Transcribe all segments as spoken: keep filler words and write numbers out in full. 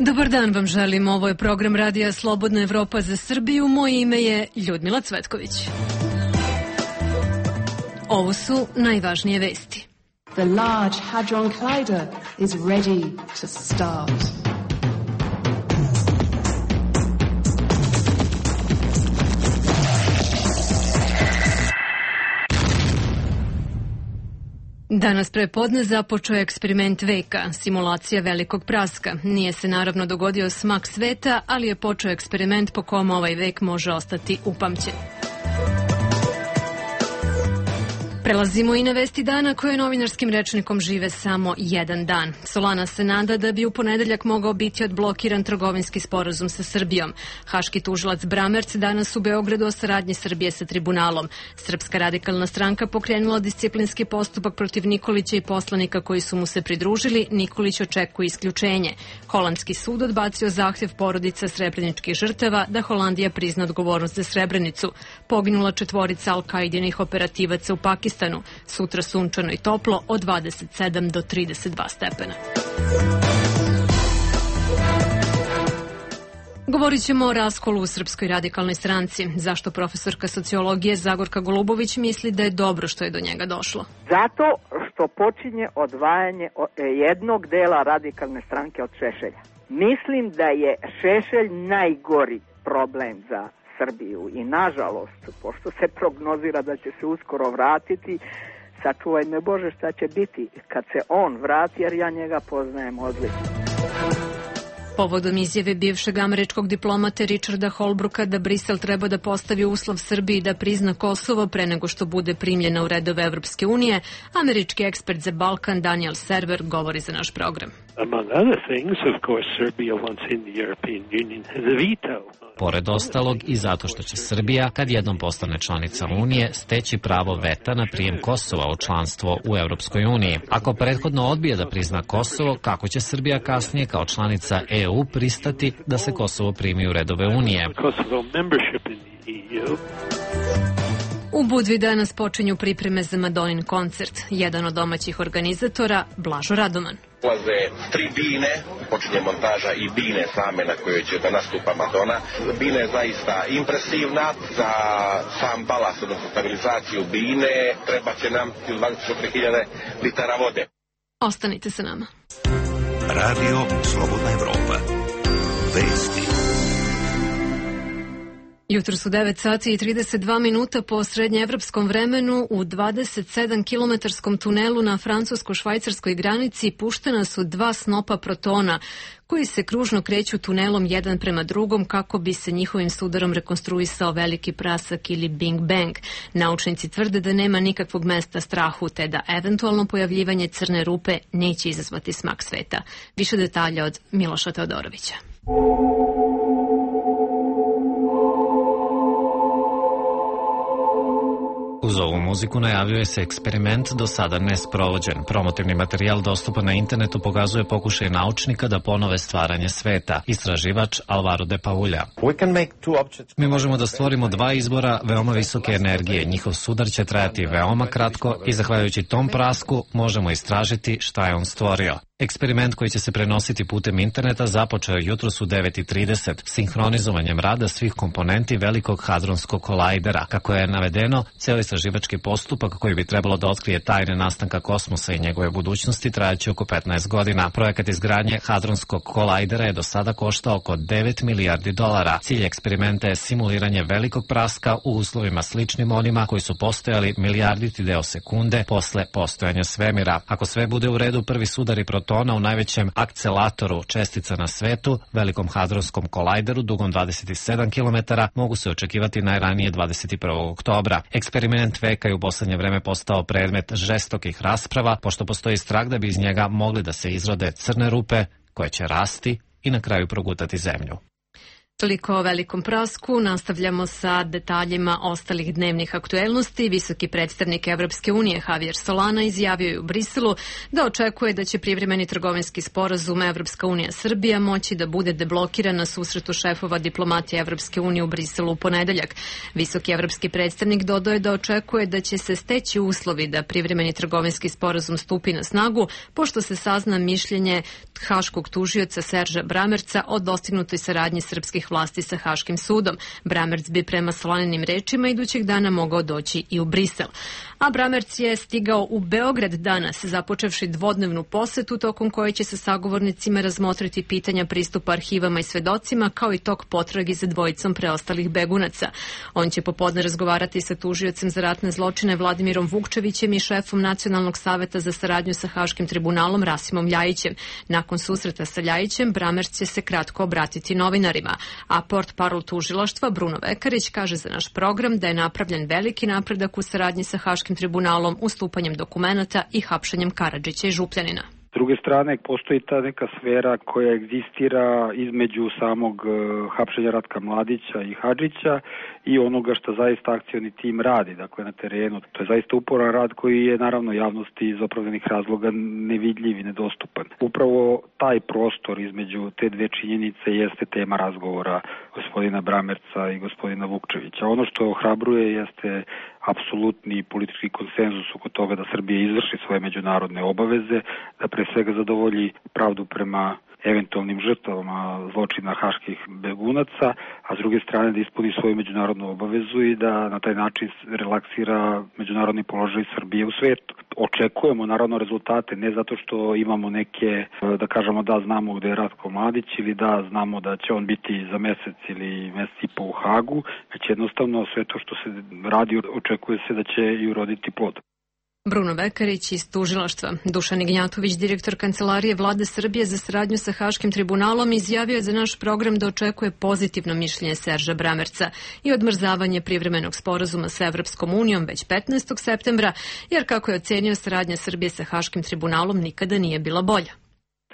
Dobar dan vam želim, ovo je program Radija Slobodna Evropa za Srbiju, moje ime je Ljudmila Cvetković. Ovo su najvažnije vesti. The Large Hadron Collider is ready to start. Danas prepodne započeo je eksperiment veka, simulacija velikog praska. Nije se naravno dogodio smak sveta, ali je počeo eksperiment po kom ovaj vek može ostati upamćen. Prelazimo i na vesti dana koje novinarskim rečnikom žive samo jedan dan. Solana se nada da bi u ponedeljak mogao biti odblokiran trgovinski sporazum sa Srbijom. Haški tužilac Bramerc danas u Beogradu o saradnji Srbije sa tribunalom. Srpska radikalna stranka pokrenula disciplinski postupak protiv Nikolića i poslanika koji su mu se pridružili. Nikolić očekuje isključenje. Holandski sud odbacio zahtjev porodica srebreničkih žrtava da Holandija prizna odgovornost za Srebrenicu. Poginula četvorica Al-Kaidinih operativaca u Pakistanu. Sutra sunčano i toplo od dvadeset sedam do trideset dva stepena. Govorit ćemo o raskolu u Srpskoj radikalnoj stranci. Zašto profesorka sociologije Zagorka Golubović misli da je dobro što je do njega došlo? Zato što počinje odvajanje jednog dela radikalne stranke od Šešelja. Mislim da je Šešelj najgori problem za Srbiju i nažalost, pošto se prognozira da će se uskoro vratiti, sačuvaj me Bože šta će biti kad se on vrati, jer ja njega poznajem odlično. Povodom izjave bivšeg američkog diplomate Richarda Holbrooka da Brisel treba da postavi uslov Srbiji da prizna Kosovo pre nego što bude primljena u redove Evropske unije, američki ekspert za Balkan Daniel Server govori za naš program. Among other things, of course, Serbia once in the European Union has a veto. Pored ostalog i zato što će Srbija, kad jednom postane članica Unije, steći pravo veta na prijem Kosova u članstvo u Evropskoj uniji. Ako prethodno odbije da prizna Kosovo, kako će Srbija kasnije kao članica E U pristati da se Kosovo primi u redove Unije? U Budvi danas počinju pripreme za Madonin koncert. Jedan od domaćih organizatora, Blažo Radoman. Ulaze tri bine, počinje montaža i bine same na kojoj će da nastupa Madonna. Bina je zaista impresivna, za sam balas, odnosno stabilizaciju bine, treba će nam dvadeset četiri hiljade litara vode. Ostanite sa nama. Radio Slobodna Evropa. Vesti. Jutro su devet sati i trideset dva minuta po srednjeevropskom vremenu. U dvadeset sedam kilometarskom tunelu na francusko-švajcarskoj granici puštena su dva snopa protona koji se kružno kreću tunelom jedan prema drugom kako bi se njihovim sudarom rekonstruisao veliki prasak ili Big Bang. Naučnici tvrde da nema nikakvog mesta strahu te da eventualno pojavljivanje crne rupe neće izazvati smak sveta. Više detalja od Miloša Teodorovića. Uz ovu muziku najavljuje se eksperiment do sada nesprovođen. Promotivni materijal dostupan na internetu pokazuje pokušaj naučnika da ponove stvaranje sveta. Istraživač Alvaro de Paulja. Mi možemo da stvorimo dva izbora veoma visoke energije. Njihov sudar će trajati veoma kratko i zahvaljujući tom prasku možemo istražiti šta je on stvorio. Eksperiment koji će se prenositi putem interneta započeo je jutros u devet i trideset sinhronizovanjem rada svih komponenti velikog hadronskog kolajdera. Kako je navedeno, ceo istraživački postupak koji bi trebalo da otkrije tajne nastanka kosmosa i njegove budućnosti trajaće oko petnaest godina. Projekat izgradnje hadronskog kolajdera je do sada koštao oko devet milijardi dolara. Cilj eksperimenta je simuliranje velikog praska u uslovima sličnim onima koji su postojali milijarditi deo sekunde posle postojanja svemira. Ako sve bude u redu, prvi sudari protona u najvećem akcelatoru čestica na svetu, velikom hadronskom kolajderu dugom dvadeset sedam kilometara, mogu se očekivati najranije dvadeset prvog oktobra. Eksperiment veka je u poslednje vreme postao predmet žestokih rasprava, pošto postoji strah da bi iz njega mogli da se izrode crne rupe koje će rasti i na kraju progutati zemlju. Toliko o velikom prasku. Nastavljamo sa detaljima ostalih dnevnih aktuelnosti. Visoki predstavnik Evropske unije Javier Solana izjavio je u Briselu da očekuje da će privremeni trgovinski sporazum Evropska unija Srbija moći da bude deblokiran na susretu šefova diplomatije Evropske unije u Briselu u ponedeljak. Visoki evropski predstavnik dodao je da očekuje da će se steći uslovi da privremeni trgovinski sporazum stupi na snagu, pošto se sazna mišljenje haškog tužioca Serža Bramerca o dostignutoj saradnji srpskih vlasti sa Haškim sudom. Bramerc bi prema Solaninim rečima idućeg dana mogao doći i u Brisel. A Bramerc je stigao u Beograd danas, započevši dvodnevnu posetu tokom koje će sa sagovornicima razmotriti pitanja pristupa arhivama i svedocima, kao i tok potragi za dvojicom preostalih begunaca. On će popodne razgovarati sa tužiocem za ratne zločine Vladimirom Vukčevićem i šefom Nacionalnog saveta za saradnju sa Haškim tribunalom Rasimom Ljajićem. Nakon susreta sa Ljajićem, Bramerc će se kratko obratiti novinarima. A portparol tužilaštva Bruno Vekarić kaže za naš program da je napravljen veliki napredak u saradnji sa Haškim tribunalom, ustupanjem dokumenata i hapšenjem Karadžića i Župljanina. S druge strane, postoji ta neka sfera koja egzistira između samog uh, hapšenja Ratka Mladića i Hadžića i onoga što zaista akcioni tim radi, dakle na terenu. To je zaista uporan rad koji je naravno javnosti iz opravdanih razloga nevidljiv i nedostupan. Upravo taj prostor između te dve činjenice jeste tema razgovora gospodina Bramerca i gospodina Vukčevića. Ono što ohrabruje jeste apsolutni politički konsenzus oko toga da Srbija izvrši svoje međunarodne obaveze, da pre svega zadovolji pravdu prema eventualnim žrtvama zločina haških begunaca, a s druge strane da ispuni svoju međunarodnu obavezu i da na taj način relaksira međunarodni položaj Srbije u svetu. Očekujemo naravno rezultate, ne zato što imamo neke, da kažemo da znamo gde je Ratko Mladić ili da znamo da će on biti za mesec ili mesec i po u Hagu, već jednostavno sve to što se radi očekuje se da će i uroditi plod. Bruno Vekarić iz tužilaštva. Dušan Ignjatović, direktor Kancelarije Vlade Srbije za saradnju sa Haškim tribunalom, izjavio je za naš program da očekuje pozitivno mišljenje Serža Bramerca i odmrzavanje privremenog sporazuma sa Evropskom unijom već petnaestog septembra, jer kako je ocenio, saradnja Srbije sa Haškim tribunalom nikada nije bila bolja.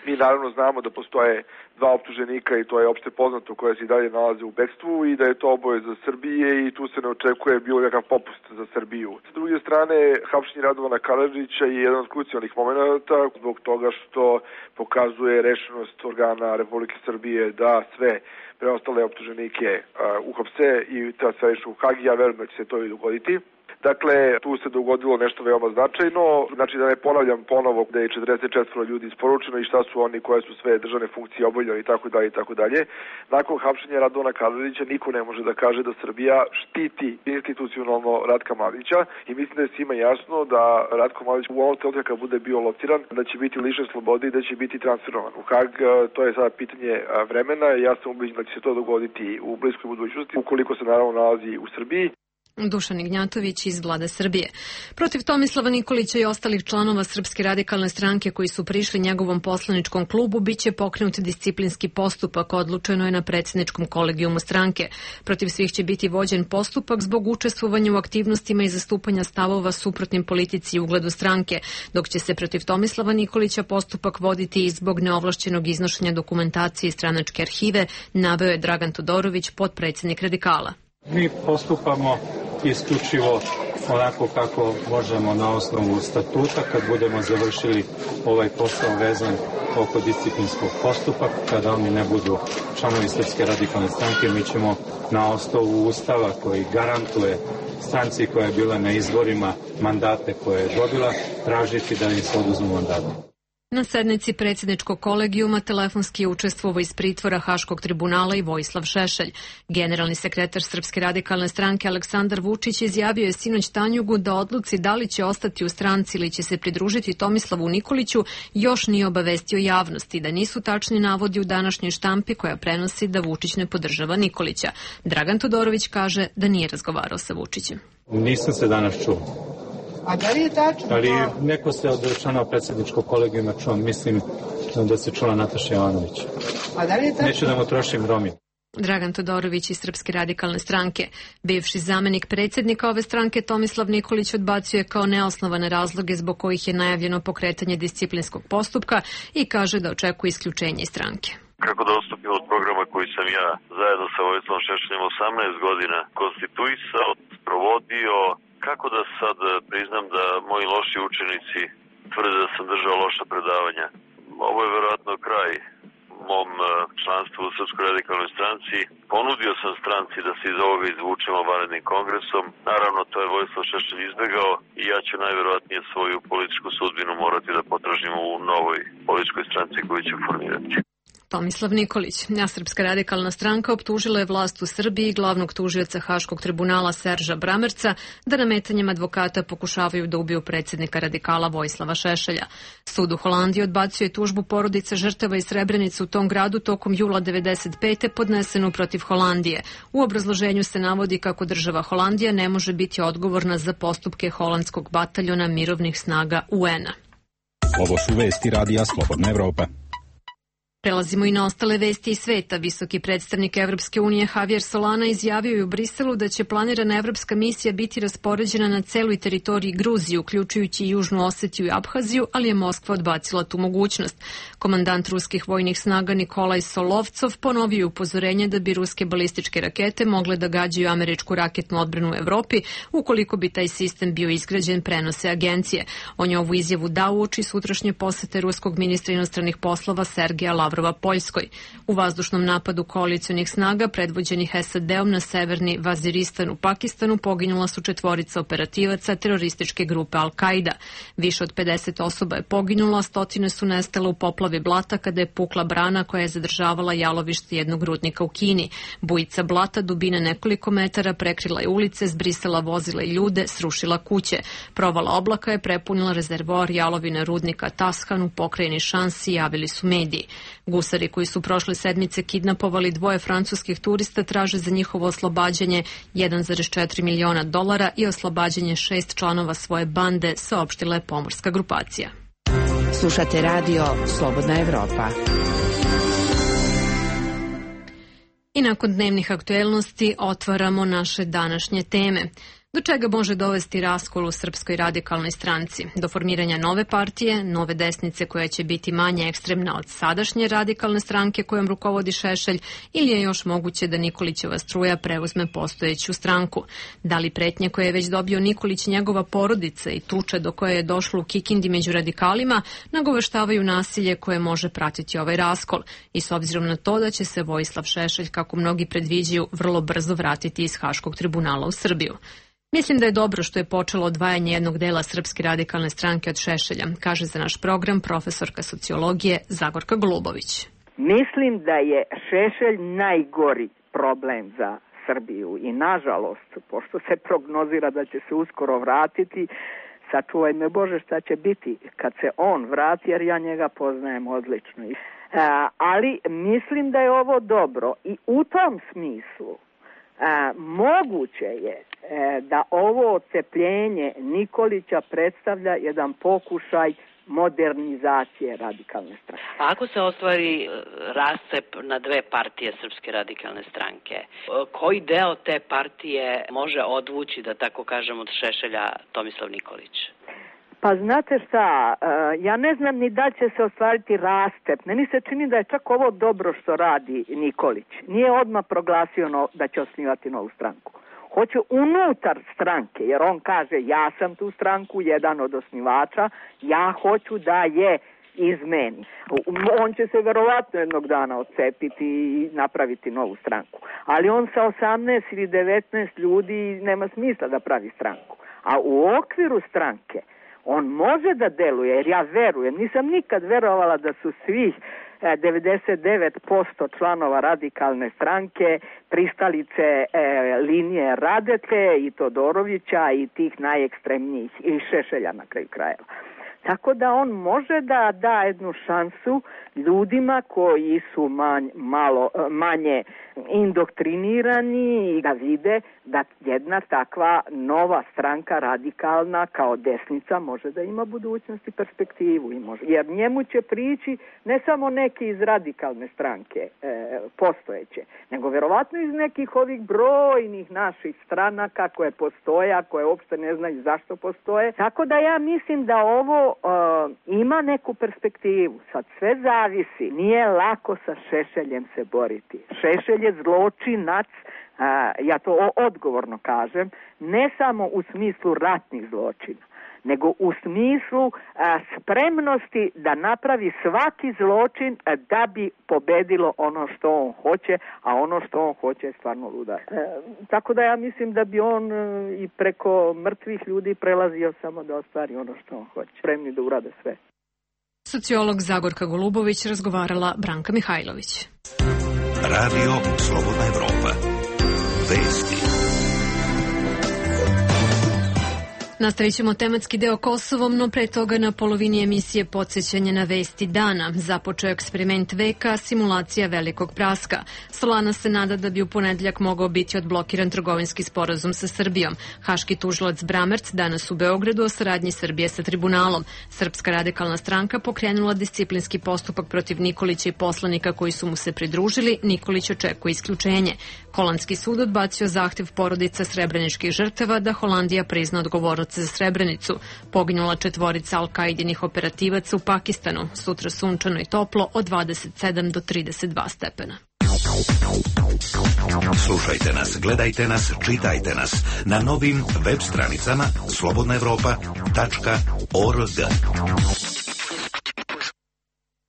Mi naravno znamo da postoje dva optuženika i to je opšte poznato koje se i dalje nalaze u bekstvu i da je to obaveza Srbije i tu se ne očekuje bilo kakav popust za Srbiju. S druge strane, hapšenje Radovana Karadžića je jedan od krucijalnih momenata zbog toga što pokazuje rešenost organa Republike Srbije da sve preostale optuženike uh, uhapse i da se rešu u Hagi. Ja verujem da će se to i dogoditi. Dakle, tu se dogodilo nešto veoma značajno, znači da ne ponavljam ponovo da je četrdeset četiri ljudi isporučeno i šta su oni koje su sve državne funkcije obavljali i tako dalje i tako dalje. Nakon hapšenja Radovana Karadžića niko ne može da kaže da Srbija štiti institucionalno Ratka Mladića i mislim da je svima jasno da Ratko Mladić u ovom trenutku kad bude bio lociran, da će biti lišen slobode i da će biti transferovan u Hag. To je sada pitanje vremena, ja sam ubeđen da će se to dogoditi u bliskoj budućnosti ukoliko se naravno nalazi u Srbiji. Dušan Ignjatović iz Vlade Srbije. Protiv Tomislava Nikolića i ostalih članova Srpske radikalne stranke koji su prišli njegovom poslaničkom klubu biće pokrenut disciplinski postupak, odlučeno je na predsjedničkom kolegijumu stranke. Protiv svih će biti vođen postupak zbog učestvovanja u aktivnostima i zastupanja stavova suprotnim politici i ugledu stranke, dok će se protiv Tomislava Nikolića postupak voditi i zbog neovlašćenog iznošenja dokumentacije iz stranačke arhive, naveo je Dragan Todorović, potpredsjednik Radikala. Mi postupamo isključivo onako kako možemo na osnovu statuta kad budemo završili ovaj posao vezan oko disciplinskog postupka, kada oni ne budu članovi Srpske radikalne stranke, mi ćemo na osnovu ustava koji garantuje stranci koja je bila na izborima mandate koje je dobila, tražiti da im se oduzmu mandate. Na sednici predsjedničkog kolegijuma telefonski je učestvovao iz pritvora Haškog tribunala i Vojislav Šešelj. Generalni sekretar Srpske radikalne stranke Aleksandar Vučić izjavio je sinoć Tanjugu da odluci da li će ostati u stranci ili će se pridružiti Tomislavu Nikoliću još nije obavestio javnosti, da nisu tačni navodi u današnjoj štampi koja prenosi da Vučić ne podržava Nikolića. Dragan Todorović kaže da nije razgovarao sa Vučićem. Nisam se danas čuo. A da li je tačno? Ali neko se od članova predsjedničkog kolegijuma čuo, mislim da se čula Nataša Jovanović. A da li je tačno? Neću da mu trošim Romi. Dragan Todorović iz Srpske radikalne stranke. Bivši zamenik predsjednika ove stranke Tomislav Nikolić odbacuje kao neosnovane razloge zbog kojih je najavljeno pokretanje disciplinskog postupka i kaže da očekuje isključenje iz stranke. kako da odstupim od programa koji sam ja zajedno sa Vojislavom Šešeljem osamnaest godina konstituisao, provodio, kako da sad priznam da moji loši učenici tvrde da sam držao loša predavanja. Ovo je verovatno kraj mom članstvu u Srpskoj radikalnoj stranci. Ponudio sam stranci da se iz ovoga izvučemo vanrednim kongresom. Naravno, to je Vojislav Šešelj izbegao i ja ću najverovatnije svoju političku sudbinu morati da potražim u novoj političkoj stranci koju ću formirati. Tomislav Nikolić. Srpska radikalna stranka optužila je vlast u Srbiji i glavnog tužioca Haškog tribunala Serža Bramerca da nametanjem advokata pokušavaju da ubiju predsjednika radikala Vojislava Šešelja. Sud u Holandiji odbacio je tužbu porodice žrtava iz Srebrenice u tom gradu tokom jula devedeset pete podnesenu protiv Holandije. U obrazloženju se navodi kako država Holandija ne može biti odgovorna za postupke holandskog bataljona mirovnih snaga U N-a. Ovo su vesti Radija Slobodna Evropa. Prelazimo i na ostale vesti iz sveta. Visoki predstavnik Evropske unije Javier Solana izjavio je u Briselu da će planirana evropska misija biti raspoređena na celoj teritoriji Gruzije, uključujući i Južnu Osetiju i Abhaziju, ali je Moskva odbacila tu mogućnost. Komandant ruskih vojnih snaga Nikolaj Solovcov ponovio je upozorenje da bi ruske balističke rakete mogle da gađaju američku raketnu odbranu u Evropi ukoliko bi taj sistem bio izgrađen, prenose agencije. On je ovu izjavu dao uoči sutrašnje posete ruskog ministra inostranih poslova Sergeja Lavrova Poljskoj. U vazdušnom napadu koalicijonih snaga predvođenih S A D-om na severni Vaziristan u Pakistanu poginula su četvorica operativaca terorističke grupe Al-Qaida. Više od pedeset osoba je poginulo, a stotine su nestale u poplavi blata kada je pukla brana koja je zadržavala jalovište jednog rudnika u Kini. Bujica blata dubine nekoliko metara prekrila je ulice, zbrisala vozila i ljude, srušila kuće. Provala oblaka je prepunila rezervoar jalovine rudnika Tashan u pokrajini Šansi, javili su mediji. Gusari koji su prošle sedmice kidnapovali dvoje francuskih turista traže za njihovo oslobađanje jedan zarez četiri miliona dolara i oslobađanje šest članova svoje bande, saopštila je pomorska grupacija. Slušate radio Slobodna Evropa. I nakon dnevnih aktuelnosti otvaramo naše današnje teme. Do čega može dovesti raskol u Srpskoj radikalnoj stranci? Do formiranja nove partije, nove desnice koja će biti manje ekstremna od sadašnje radikalne stranke kojom rukovodi Šešelj, ili je još moguće da Nikolićeva struja preuzme postojeću stranku? Da li pretnje koje je već dobio Nikolić i njegova porodica i tuča do koje je došlo u Kikindi među radikalima nagoveštavaju nasilje koje može pratiti ovaj raskol? I s obzirom na to da će se Vojislav Šešelj, kako mnogi predviđaju, vrlo brzo vratiti iz Haškog tribunala u Srbiju. Mislim da je dobro što je počelo odvajanje jednog dela Srpske radikalne stranke od Šešelja, kaže za naš program profesorka sociologije Zagorka Golubović. Mislim da je Šešelj najgori problem za Srbiju i nažalost, pošto se prognozira da će se uskoro vratiti, sačuvaj me Bože šta će biti kad se on vrati, jer ja njega poznajem odlično. E, ali mislim da je ovo dobro i u tom smislu A, moguće je e, da ovo odcepljenje Nikolića predstavlja jedan pokušaj modernizacije radikalne stranke. A ako se ostvari rascep na dve partije Srpske radikalne stranke, koji deo te partije može odvući, da tako kažem, od Šešelja Tomislav Nikolić? Pa znate šta, ja ne znam ni da će se ostvariti rastep. Meni se čini da je čak ovo dobro što radi Nikolić. Nije odmah proglasio no, da će osnivati novu stranku. Hoće unutar stranke, jer on kaže ja sam tu stranku, jedan od osnivača, ja hoću da je izmeni. On će se verovatno jednog dana odcepiti i napraviti novu stranku. Ali on sa osamnaest ili devetnaest ljudi nema smisla da pravi stranku. A u okviru stranke on može da deluje, jer ja verujem, nisam nikad verovala da su svih devedeset devet posto članova radikalne stranke pristalice e, linije Radete i Todorovića i tih najekstremnijih i Šešelja na kraju krajeva. Tako da on može da da jednu šansu ljudima koji su manj, malo, manje indoktrinirani i da vide da jedna takva nova stranka radikalna kao desnica može da ima budućnost i perspektivu. I može. Jer njemu će prići ne samo neki iz radikalne stranke e, postojeće, nego verovatno iz nekih ovih brojnih naših stranaka koje postoje, a koje uopšte ne znaju zašto postoje. Tako da ja mislim da ovo e, ima neku perspektivu. Sad sve zavisi. Nije lako sa Šešeljem se boriti. Šešelj je zločinac, a, ja to odgovorno kažem, ne samo u smislu ratnih zločina, nego u smislu a, spremnosti da napravi svaki zločin a, da bi pobedilo ono što on hoće, a ono što on hoće je stvarno luda. E, tako da ja mislim da bi on e, i preko mrtvih ljudi prelazio samo da ostvari ono što on hoće. Spremni da urade sve. Sociolog Zagorka Golubović razgovarala Branka Mihajlović. Radio Slobodna Evropa. Vesti. Nastavit ćemo tematski deo Kosovom, no pre toga na polovini emisije podsjećanje na vesti dana. Započeo eksperiment veka, simulacija velikog praska. Solana se nada da bi u ponedeljak mogao biti odblokiran trgovinski sporazum sa Srbijom. Haški tužilac Bramerc danas u Beogradu o saradnji Srbije sa tribunalom. Srpska radikalna stranka pokrenula disciplinski postupak protiv Nikolića i poslanika koji su mu se pridružili. Nikolić očekuje isključenje. Holandski sud odbacio zahtev porodica srebreničkih žrtava da Holandija prizna odgovornost za Srebrenicu. Poginula četvorica Al-Kaidinih operativaca u Pakistanu. Sutra sunčano i toplo od dvadeset sedam do trideset dva stepena. Slušajte nas, gledajte nas, čitajte nas na novim web stranicama slobodna evropa tačka org.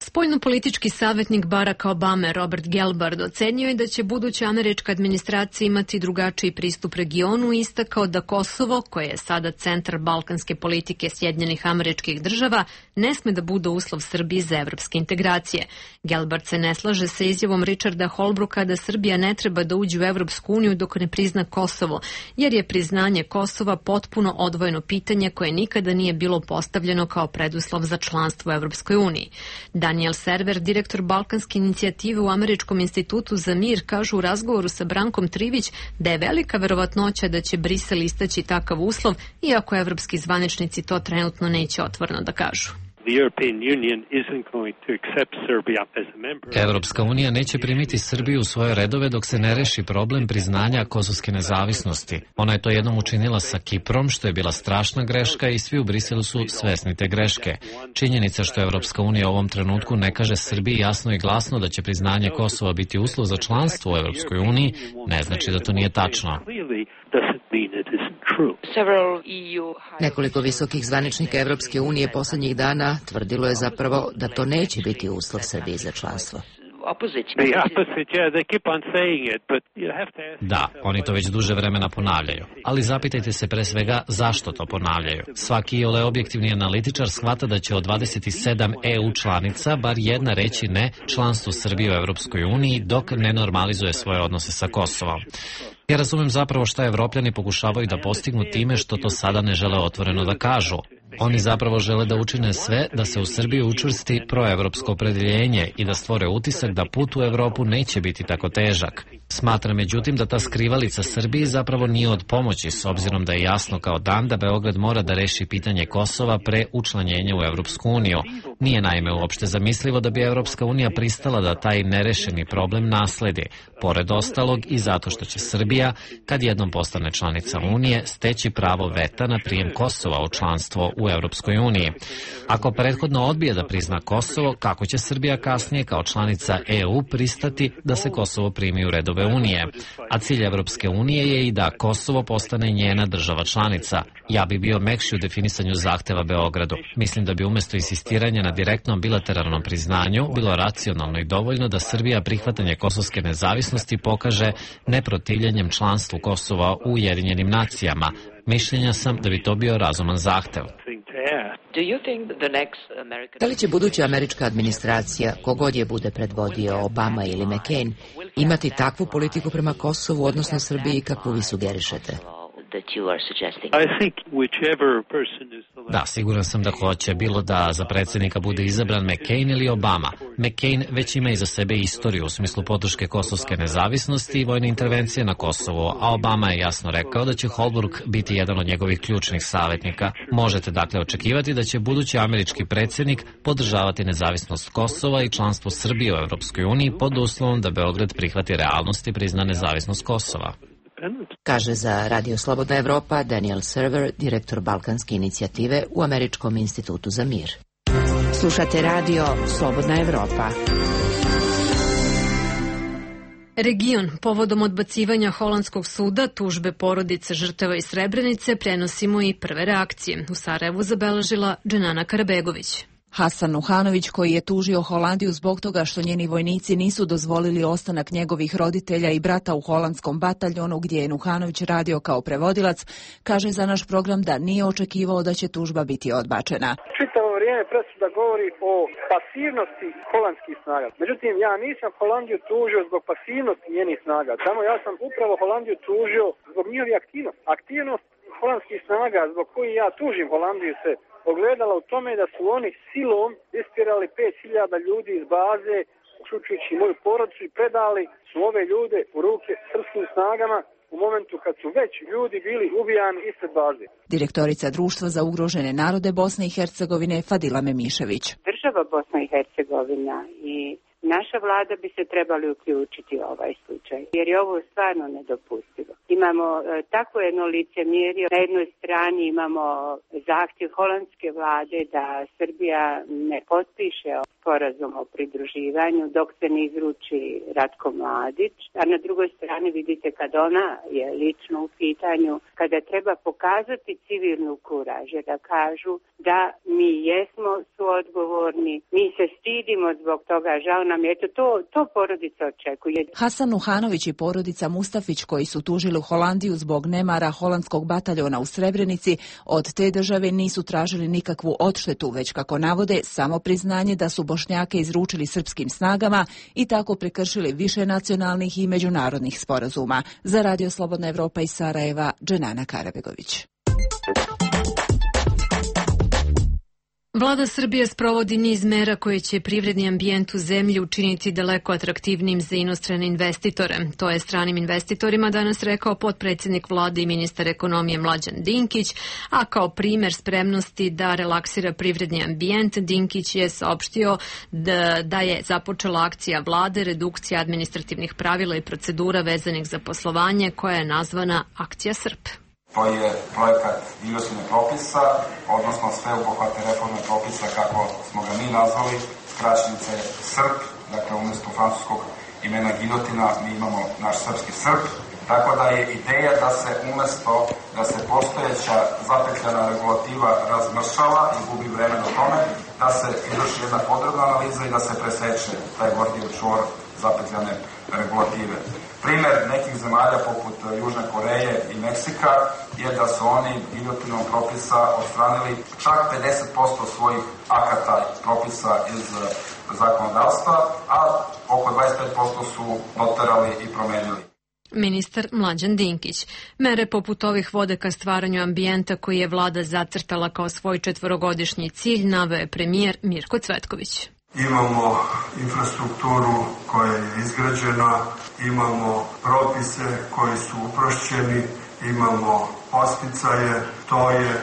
Spoljnopolitički savjetnik Baracka Obame Robert Gelbard ocenio je da će buduća američka administracija imati drugačiji pristup regionu i istakao da Kosovo, koje je sada centar balkanske politike Sjedinjenih Američkih Država, ne sme da bude uslov Srbiji za evropske integracije. Gelbard se ne slaže sa izjavom Richarda Holbrooka da Srbija ne treba da uđe u Evropsku uniju dok ne prizna Kosovo, jer je priznanje Kosova potpuno odvojeno pitanje koje nikada nije bilo postavljeno kao preduslov za članstvo u Evropskoj uniji. Daniel Server, direktor Balkanske inicijative u Američkom institutu za mir, kaže u razgovoru sa Brankom Trivić da je velika verovatnoća da će Brisel istaći takav uslov, iako evropski zvaničnici to trenutno neće otvoreno da kažu. Evropska unija neće primiti Srbiju u svoje redove dok se ne reši problem priznanja kosovske nezavisnosti. Ona je to jednom učinila sa Kiprom, što je bila strašna greška i svi u Briselu su svesni te greške. Činjenica što Evropska unija u ovom trenutku ne kaže Srbiji jasno i glasno da će priznanje Kosova biti uslov za članstvo u Evropskoj uniji, ne znači da to nije tačno. Nekoliko visokih zvaničnika Evropske unije poslednjih dana tvrdilo je zapravo da to neće biti uslov Srbije za članstvo. Da, oni to već duže vremena ponavljaju. Ali zapitajte se pre svega zašto to ponavljaju. Svaki iole objektivni analitičar shvata da će od dvadeset sedam E U članica bar jedna reći ne članstvu Srbije u Evropskoj uniji dok ne normalizuje svoje odnose sa Kosovom. Ja razumem zapravo šta Evropljani pokušavaju da postignu time što to sada ne žele otvoreno da kažu. Oni zapravo žele da učine sve da se u Srbiji učvrsti proevropsko opredeljenje i da stvore utisak da put u Evropu neće biti tako težak. Smatram međutim da ta skrivalica Srbiji zapravo nije od pomoći, s obzirom da je jasno kao dan da Beograd mora da reši pitanje Kosova pre učlanjenja u Evropsku uniju. Nije naime uopšte zamislivo da bi Evropska unija pristala da taj nerešeni problem nasledi, pored ostalog i zato što će Srbija, kad jednom postane članica Unije, steći pravo veta na prijem Kosova u članstvo u Evropskoj uniji. Ako prethodno odbije da prizna Kosovo, kako će Srbija kasnije kao članica E U pristati da se Kosovo primi u redove Unije? A cilj Evropske unije je i da Kosovo postane njena država članica. Ja bi bio mekši u definisanju zahteva Beogradu. Mislim da bi umesto insistiranja na direktnom bilateralnom priznanju bilo racionalno i dovoljno da Srbija prihvatanje kosovske nezavisnosti pokaže neprotivljenjem članstvu Kosova u Ujedinjenim nacijama. Mišljenja sam da bi to bio razuman zahtev. Da li će buduća američka administracija, kogod je bude predvodio Obama ili McCain, imati takvu politiku prema Kosovu, odnosno Srbiji, kakvu vi sugerišete? Da, siguran sam da hoće, bilo da za predsjednika bude izabran McCain ili Obama. McCain već ima iza sebe istoriju u smislu podrške kosovske nezavisnosti i vojne intervencije na Kosovo, a Obama je jasno rekao da će Holbrooke biti jedan od njegovih ključnih savjetnika. Možete dakle očekivati da će budući američki predsjednik podržavati nezavisnost Kosova i članstvo Srbije u Evropskoj uniji pod uslovom da Beograd prihvati realnost i prizna nezavisnost Kosova. Kaže za Radio Slobodna Evropa Daniel Server, direktor Balkanske inicijative u Američkom institutu za mir. Slušate Radio Slobodna Evropa. Region povodom odbacivanja holandskog suda tužbe porodice žrtava iz Srebrenice prenosimo i prve reakcije. U Sarajevu zabeležila Dženana Karabegović. Hasan Nuhanović, koji je tužio Holandiju zbog toga što njeni vojnici nisu dozvolili ostanak njegovih roditelja i brata u holandskom bataljonu gdje je Nuhanović radio kao prevodilac, kaže za naš program da nije očekivao da će tužba biti odbačena. Čitavo vrijeme presuda govori o pasivnosti holandskih snaga. Međutim, ja nisam Holandiju tužio zbog pasivnosti njenih snaga. Samo ja sam upravo Holandiju tužio zbog njihovih aktivnosti. Aktivnost holandskih snaga zbog koji ja tužim Holandiju se ogledala u tome da su oni silom istjerali pet hiljada ljudi iz baze, uključujući moju porodicu, i predali su ove ljude u ruke srpskim snagama u momentu kad su već ljudi bili ubijani ispred baze. Direktorica Društva za ugrožene narode Bosne i Hercegovine Fadila Memišević. Država Bosna i Hercegovina i naša vlada bi se trebali uključiti u ovaj slučaj, jer je ovo stvarno nedopustivo. Imamo e, tako jedno licemjerje. Na jednoj strani imamo zahtjev holandske vlade da Srbija ne potpiše sporazum o pridruživanju dok se ne izruči Ratko Mladić, a na drugoj strani vidite kad ona je lično u pitanju, kada treba pokazati civilnu kuraž, da kažu da mi jesmo suodgovorni, mi se stidimo zbog toga, žao nam je, eto to, to porodica očekuje. Hasan Nuhanović i porodica Mustafić, koji su tužili Holandiju zbog nemara holandskog bataljona u Srebrenici, od te države nisu tražili nikakvu odštetu, već kako navode samo priznanje da su Bošnjake izručili srpskim snagama i tako prekršili više nacionalnih i međunarodnih sporazuma. Za Radio Slobodna Evropa iz Sarajeva, Dženana Karabegović. Vlada Srbije sprovodi niz mera koje će privredni ambijent u zemlji učiniti daleko atraktivnijim za inostrane investitore. To je stranim investitorima danas rekao potpredsjednik vlade i ministar ekonomije Mlađan Dinkić, a kao primer spremnosti da relaksira privredni ambijent, Dinkić je saopštio da, da je započela akcija vlade redukcija administrativnih pravila i procedura vezanih za poslovanje, koja je nazvana Akcija Srp. To je projekat giljotine propisa, odnosno sveobuhvatne reforme propisa, kako smo ga mi nazvali, skraćenica je Srp, dakle umjesto francuskog imena giljotina mi imamo naš srpski Srp, tako da je ideja da se umjesto da se postojeća zapetljana regulativa razmršava i gubi vreme na tome, da se izvrši jedna podrobna analiza i da se preseče taj Gordijev čvor zapetljane regulative. Primer nekih zemalja poput Južne Koreje i Meksika je da su oni giljotinom propisa odstranili čak pedeset posto svojih akata propisa iz zakonodavstva, a oko dvadeset pet posto su doterali i promenili. Ministar Mlađan Dinkić. Mere poput ovih vode ka stvaranju ambijenta koji je vlada zacrtala kao svoj četvorogodišnji cilj, naveo je premijer Mirko Cvetković. Imamo infrastrukturu koja je izgrađena, imamo propise koji su uprošćeni, imamo posticaje, to je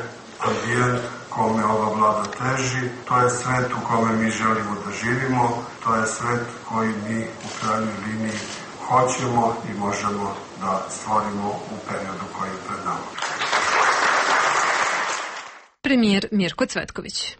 ambijent kome ova vlada teži, to je svet u kome mi želimo da živimo, to je svet koji mi u krajnjoj liniji hoćemo i možemo da stvorimo u periodu koji je pred nama. Premijer Mirko Cvetković.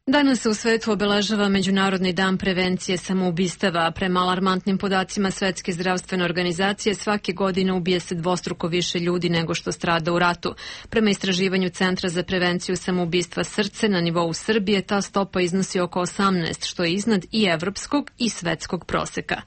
Danas se u svetu obeležava Međunarodni dan prevencije samoubistava. Prema alarmantnim podacima Svetske zdravstvene organizacije svake godine ubije se dvostruko više ljudi nego što strada u ratu. Prema istraživanju Centra za prevenciju samoubistva Srce na nivou Srbije ta stopa iznosi oko osamnaest, što je iznad i evropskog i svetskog proseka.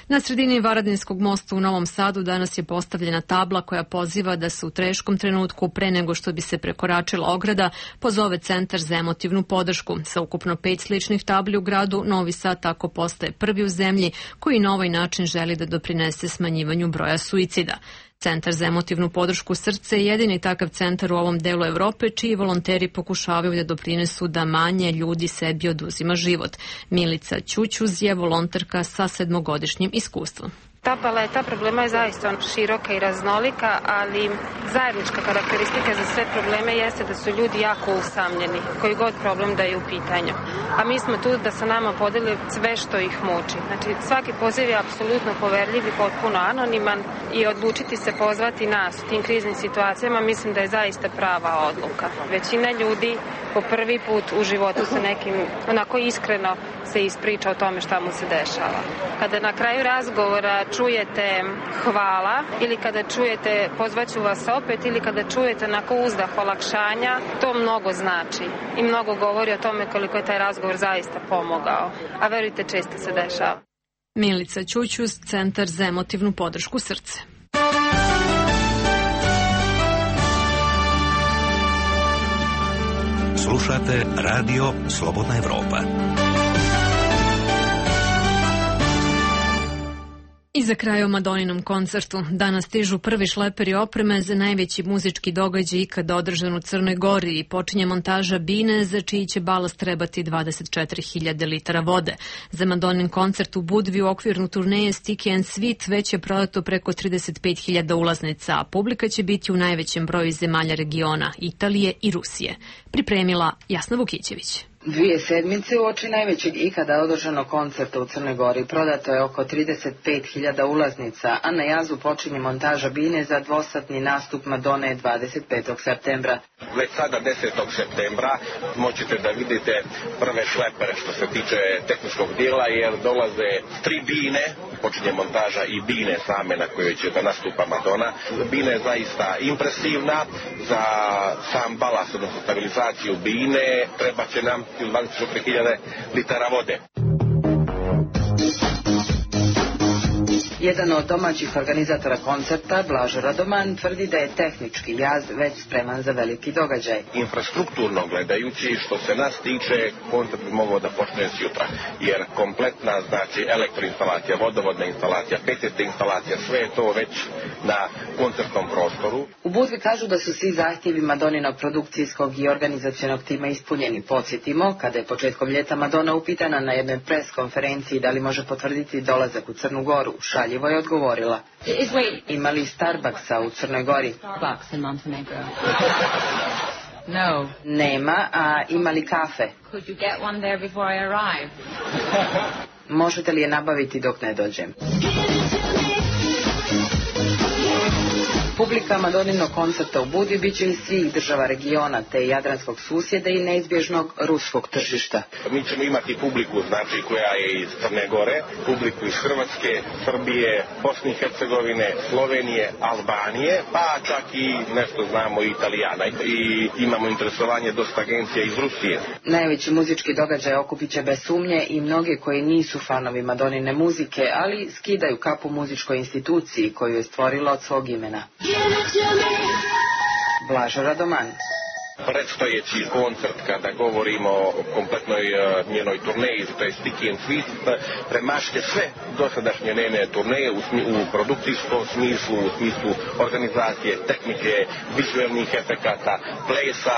Na sredini Varadinskog mosta u Novom Sadu danas je postavljena tabla koja poziva da se u teškom trenutku pre nego što bi se prekoračila ograda pozove Centar za emotivnu podršku. Sa ukupno pet sličnih tabli u gradu, Novi Sad tako postaje prvi u zemlji koji na ovaj način želi da doprinese smanjivanju broja suicida. Centar za emotivnu podršku Srce je jedini takav centar u ovom delu Evrope čiji volonteri pokušavaju da doprinesu da manje ljudi sebi oduzima život. Milica Ćućuz je volonterka sa sedmogodišnjim iskustvom. Ta paleta problema je zaista široka i raznolika, ali zajednička karakteristika za sve probleme jeste da su ljudi jako usamljeni, koji god problem da je u pitanju. A mi smo tu da sa nama podeli sve što ih muči. Znači, svaki poziv je apsolutno poverljiv i potpuno anoniman i odlučiti se pozvati nas u tim kriznim situacijama mislim da je zaista prava odluka. Većina ljudi po prvi put u životu sa nekim onako iskreno se ispriča o tome šta mu se dešava. Kada na kraju razgovora čujete hvala ili kada čujete pozvaću vas opet ili kada čujete onako uzdah olakšanja, to mnogo znači i mnogo govori o tome koliko je taj razgovor zaista pomogao. A verujte, često se dešava. Milica Ćućuz, Centar za emotivnu podršku Srce. Slušate Radio Slobodna Evropa. I za kraj o Madoninom koncertu. Danas stižu prvi šleperi opreme za najveći muzički događaj ikada održan u Crnoj Gori i počinje montaža bine za čiji će balast trebati dvadeset četiri hiljade litara vode. Za Madonin koncert u Budvi u okvirnu turneje Sticky and Sweet već je prodato preko trideset pet hiljada ulaznica, a publika će biti u najvećem broju zemalja regiona, Italije i Rusije. Pripremila Jasna Vukićević. Dvije sedmice uoči najvećeg ikada održanog koncerta u Crnoj Gori prodato je oko trideset pet hiljada ulaznica, a na jazu počinje montaža bine za dvosatni nastup Madone dvadeset petog septembra. Već sada desetog septembra moćete da vidite prve šlepere što se tiče tehničkog dijela, jer dolaze tri bine, počinje montaža i bine same na kojoj će da nastupa Madonna. Bina je zaista impresivna, za sam balast, odnosno stabilizaciju bine, treba će nam dvadeset četiri hiljade litara vode. Jedan od domaćih organizatora koncerta, Blažo Radoman, tvrdi da je tehnički jaz već spreman za veliki događaj. Infrastrukturno gledajući, što se nas tiče, koncert bi mogao da počne s jutra, jer kompletna, znači, elektroinstalacija, vodovodna instalacija, pet instalacija, sve je to već na koncertnom prostoru. U Budvi kažu da su svi zahtjevi Madoninog produkcijskog i organizacionog tima ispunjeni. Podsjetimo, kada je početkom ljeta Madonna upitana na jednoj pres konferenciji da li može potvrditi dolazak u Crnu Goru, šaljivo je odgovorila: ima li Starbucksa u Crnoj Gori? Starbucks in Montenegro. No. Nema, a ima li kafe? Could you get one there before I arrive? Možete li je nabaviti dok ne dođem? Publika Madoninog koncerta u Budvi bit će iz svih država regiona, te jadranskog susjeda i neizbježnog ruskog tržišta. Mi ćemo imati publiku, znači, koja je iz Crne Gore, publiku iz Hrvatske, Srbije, Bosne i Hercegovine, Slovenije, Albanije, pa čak i nešto znamo i Italijana. I imamo interesovanje dosta agencija iz Rusije. Najveći muzički događaj okupit će bez sumnje i mnoge koji nisu fanovi Madonine muzike, ali skidaju kapu muzičkoj instituciji koju je stvorila od svog imena. Blažo Radoman. Predstojeći koncert, kada govorimo o kompletnoj uh, njenoj turneji, to je Sticky and Sweet, premašće sve dosadašnje njene turneje u, smi, u produkcijskom smislu, u smislu organizacije, tehnike, vizualnih efekata, plesa,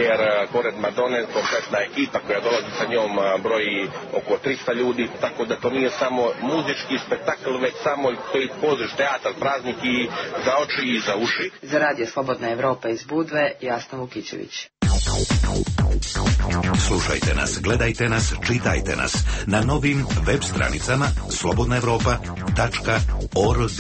jer uh, pored Madone kompletna ekipa koja dolazi sa njom uh, broji oko trista ljudi, tako da to nije samo muzički spektakl, već samo koji poziv teatar, praznik i za oči i za uši. Za Radio Slobodna Evropa iz Budve, Jasna Vukićević. Slušajte nas, gledajte nas, čitajte nas na novim web stranicama slobodna evropa tačka org.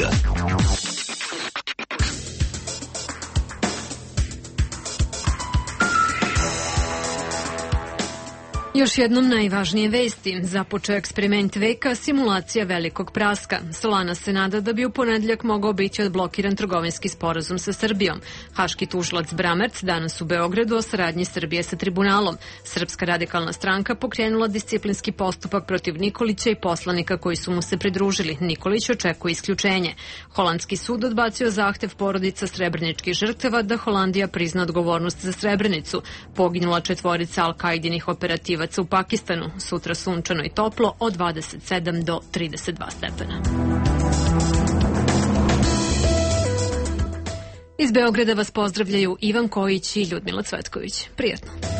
Još jednom najvažnije vesti. Započeo eksperiment veka, simulacija velikog praska. Solana se nada da bi u ponedjeljak mogao biti odblokiran trgovinski sporazum sa Srbijom. Haški tužilac Bramerc danas u Beogradu o saradnji Srbije sa tribunalom. Srpska radikalna stranka pokrenula disciplinski postupak protiv Nikolića i poslanika koji su mu se pridružili. Nikolić očekuje isključenje. Holandski sud odbacio zahtev porodica srebreničkih žrtava da Holandija prizna odgovornost za Srebrenicu. Poginula četvorica Al-Kaidinih operativaca Mitrovaca u Pakistanu. Sutra sunčano i toplo od dvadeset sedam do trideset dva stepena. Iz Beograda vas pozdravljaju Ivan Kojić i Ljudmila Cvetković. Prijatno.